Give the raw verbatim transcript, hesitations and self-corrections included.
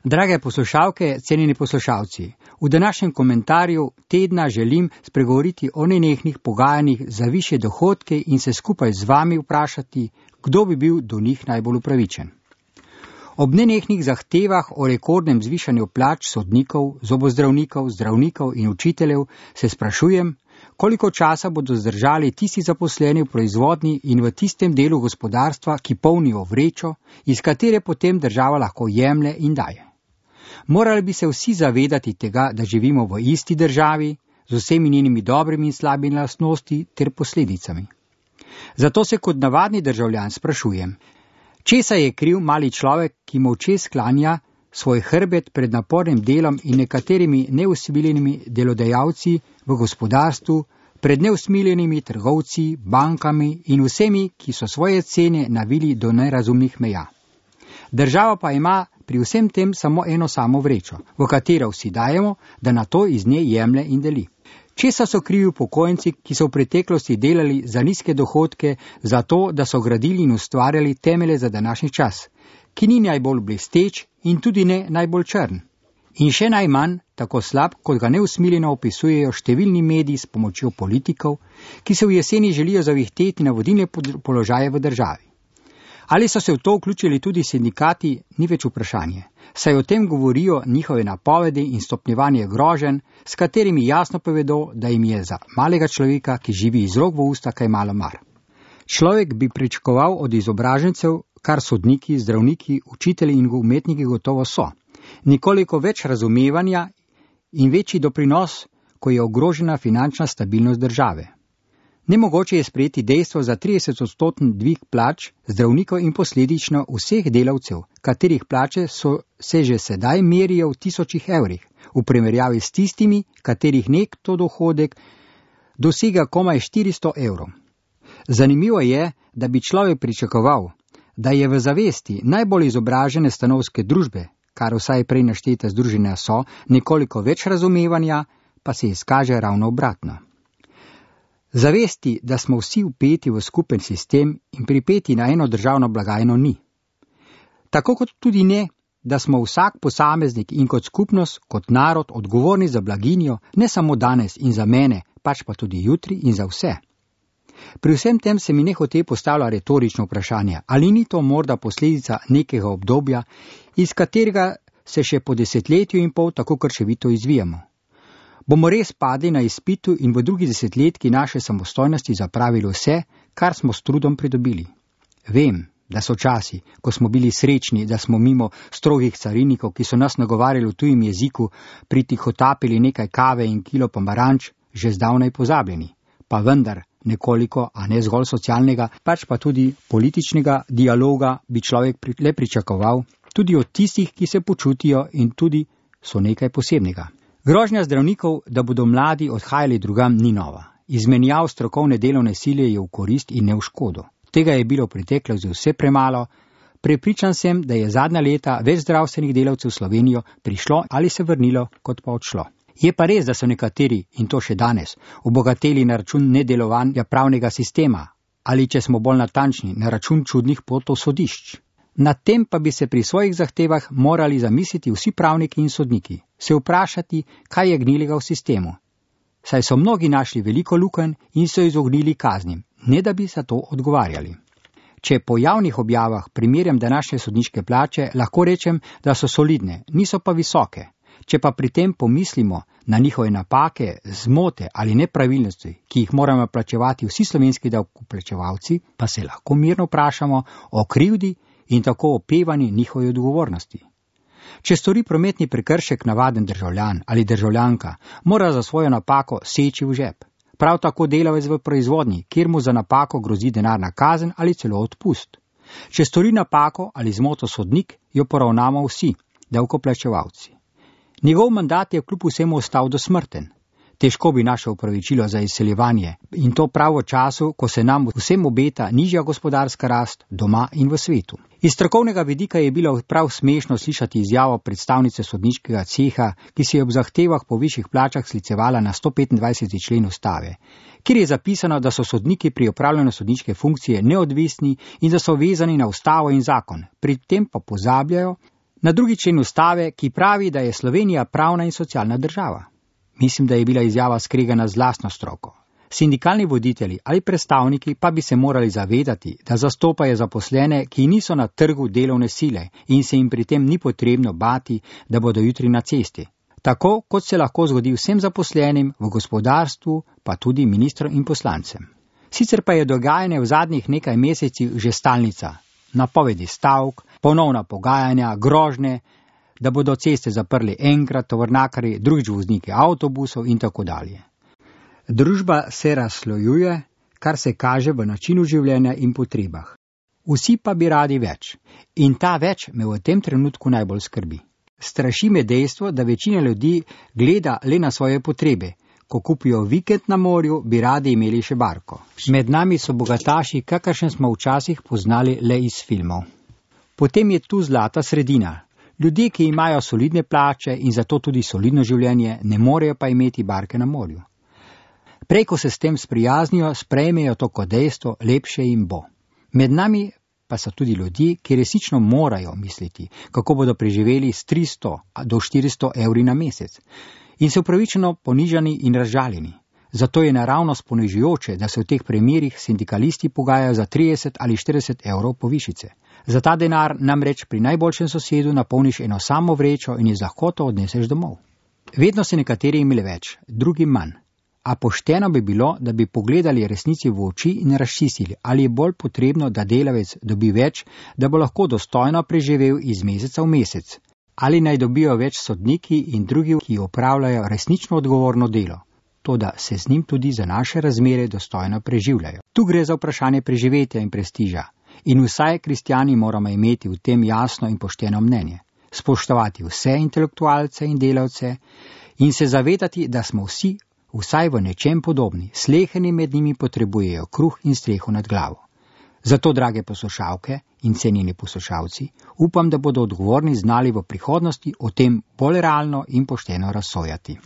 Drage poslušalke, cenjeni poslušalci, v današnjem komentarju tedna želim spregovoriti o nenehnih pogajanjih za višje dohodke in se skupaj z vami vprašati, kdo bi bil do njih najbolj upravičen. Ob nenehnih zahtevah o rekordnem zvišanju plač sodnikov, zobozdravnikov, zdravnikov in učiteljev se sprašujem, koliko časa bodo zdržali tisti zaposleni v proizvodnji in v tistem delu gospodarstva, ki polnijo vrečo, iz katere potem država lahko jemlje in daje. Morali bi se vsi zavedati tega, da živimo v isti državi, z vsemi njenimi dobrimi in slabimi lastnosti ter posledicami. Zato se kot navadni državljan sprašujem, česa je kriv mali človek, ki molče sklanja svoj hrbet pred napornim delom in nekaterimi neusmiljenimi delodajalci v gospodarstvu, pred neusmiljenimi trgovci, bankami in vsemi, ki so svoje cene navili do nerazumnih meja. Država pa ima pri vsem tem samo eno samo vrečo, v katero vsi dajemo, da na to iz nje jemlje in deli. Česa so krivi upokojenci, ki so v preteklosti delali za nizke dohodke, za to, da so gradili in ustvarjali temelje za današnji čas, ki ni najbolj blesteč in tudi ne najbolj črn. In še najmanj tako slab, kot ga neusmiljeno opisujejo številni mediji s pomočjo politikov, ki se v jeseni želijo zavihteti na vodilne položaje v državi. Ali so se v to vključili tudi sindikati, ni več vprašanje, saj o tem govorijo njihove napovedi in stopnjevanje groženj, s katerimi jasno povedo, da jim je za malega človeka, ki živi iz rok v usta, kaj malo mar. Človek bi pričakoval od izobražencev, kar sodniki, zdravniki, učitelji in umetniki gotovo so, nekoliko več razumevanja in večji doprinos, ko je ogrožena finančna stabilnost države. Nemogoče je sprejeti dejstvo za trideset odstotni dvig plač zdravnikov in posledično vseh delavcev, katerih plače so se že sedaj merijo v tisočih evrih, v primerjavi s tistimi, katerih nekto dohodek dosega komaj štiristo evrov. Zanimivo je, da bi človek pričakoval, da je v zavesti najbolj izobražene stanovske družbe, kar vsaj prej naštete združenja so, nekoliko več razumevanja, pa se izkaže ravno obratno. Zavesti, da smo vsi vpeti v skupen sistem in pripeti na eno državno blagajno ni. Tako kot tudi ne, da smo vsak posameznik in kot skupnost, kot narod odgovorni za blaginjo, ne samo danes in za mene, pač pa tudi jutri in za vse. Pri vsem tem se mi nehote postavlja retorično vprašanje, ali ni to morda posledica nekega obdobja, iz katerega se še po desetletju in pol tako krčevito izvijamo. Bomo res padli na izpitu in v drugi desetletki naše samostojnosti zapravili vse, kar smo s trudom pridobili. Vem, da so časi, ko smo bili srečni, da smo mimo strogih carinikov, ki so nas nagovarjali v tujem jeziku, pritihotapili nekaj kave in kilo pomaranč, že zdavnaj pozabljeni. Pa vendar nekoliko, a ne zgolj socialnega, pač pa tudi političnega dialoga bi človek le pričakoval, tudi od tistih, ki se počutijo in tudi so nekaj posebnega. Grožnja zdravnikov, da bodo mladi odhajali drugam, ni nova. Izmenjav strokovne delovne sile je v korist in ne v škodo. Tega je bilo v preteklosti vse premalo. Prepričan sem, da je zadnja leta več zdravstvenih delavcev v Slovenijo prišlo ali se vrnilo, kot pa odšlo. Je pa res, da so nekateri, in to še danes, obogateli na račun nedelovanja pravnega sistema, ali če smo bolj natančni, na račun čudnih potov sodišč. Nad tem pa bi se pri svojih zahtevah morali zamisliti vsi pravniki in sodniki, se vprašati, kaj je gnilega v sistemu. Saj so mnogi našli veliko lukenj in so izognili kaznim, ne da bi za to odgovarjali. Če po javnih objavah primerjam današnje sodniške plače, lahko rečem, da so solidne, niso pa visoke. Če pa pri tem pomislimo na njihove napake, zmote ali nepravilnosti, ki jih moramo plačevati vsi slovenski davkoplačevalci, pa se lahko mirno vprašamo o krivdi in tako opevani njihovi odgovornosti. Če stori prometni prekršek navaden državljan ali državljanka, mora za svojo napako seči v žep. Prav tako delavec v proizvodnji, kjer mu za napako grozi denarna kazen ali celo odpust. Če stori napako ali zmoto sodnik, jo poravnamo vsi, davkoplačevalci. Njegov mandat je kljub vsemu ostal dosmrten. Težko bi našel opravičilo za izseljevanje in to prav v času, ko se nam vsem obeta nižja gospodarska rast doma in v svetu. Iz strokovnega vidika je bilo prav smešno slišati izjavo predstavnice sodniškega ceha, ki se je ob zahtevah po višjih plačah sklicevala na sto petindvajseti člen ustave, kjer je zapisano, da so sodniki pri opravljanju sodniške funkcije neodvisni in da so vezani na ustavo in zakon, pri tem pa pozabljajo, Na drugi člen ustave, ki pravi, da je Slovenija pravna in socialna država. Mislim, da je bila izjava skregana z lastno stroko. Sindikalni voditelji ali predstavniki pa bi se morali zavedati, da zastopajo zaposlene, ki niso na trgu delovne sile in se jim pri tem ni potrebno bati, da bodo jutri na cesti. Tako, kot se lahko zgodi vsem zaposlenim v gospodarstvu, pa tudi ministrom in poslancem. Sicer pa je dogajanje v zadnjih nekaj mesecih že stalnica. Napovedi stavk, ponovna pogajanja, grožnje, da bodo ceste zaprli enkrat tovornjakarji, drugič vozniki avtobusov in tako dalje. Družba se razslojuje, kar se kaže v načinu življenja in potrebah. Vsi pa bi radi več. In ta več me v tem trenutku najbolj skrbi. Straši me dejstvo, da večina ljudi gleda le na svoje potrebe. Ko kupijo vikend na morju, bi radi imeli še barko. Med nami so bogataši, kakršne smo včasih poznali le iz filmov. Potem je tu zlata sredina. Ljudje, ki imajo solidne plače in zato tudi solidno življenje, ne morejo pa imeti barke na morju. Prej, ko se s tem sprijaznijo, sprejmejo to kot dejstvo, lepše jim bo. Med nami pa so tudi ljudje, ki resnično morajo misliti, kako bodo preživeli s tristo do štiristo evri na mesec in so upravičeno ponižani in razžaljeni. Zato je naravnost ponižujoče, da se v teh primerih sindikalisti pogajajo za trideset ali štirideset evrov povišice. Za ta denar namreč pri najboljšem sosedu napolniš eno samo vrečo in je z lahkoto odneseš domov. Vedno se nekateri imeli več, drugi manj. A pošteno bi bilo, da bi pogledali resnici v oči in razčistili, ali je bolj potrebno, da delavec dobi več, da bo lahko dostojno preživel iz meseca v mesec. Ali naj dobijo več sodniki in drugi, ki opravljajo resnično odgovorno delo, toda se z njim tudi za naše razmere dostojno preživljajo. Tu gre za vprašanje preživetja in prestiža. In vsaj kristjani moramo imeti v tem jasno in pošteno mnenje. Spoštovati vse intelektualce in delavce in se zavedati, da smo vsi vsaj v nečem podobni, sleheni med njimi potrebujejo kruh in streho nad glavo. Zato, drage poslušalke in cenjeni poslušalci, upam, da bodo odgovorni znali v prihodnosti o tem bolj realno in pošteno razsojati.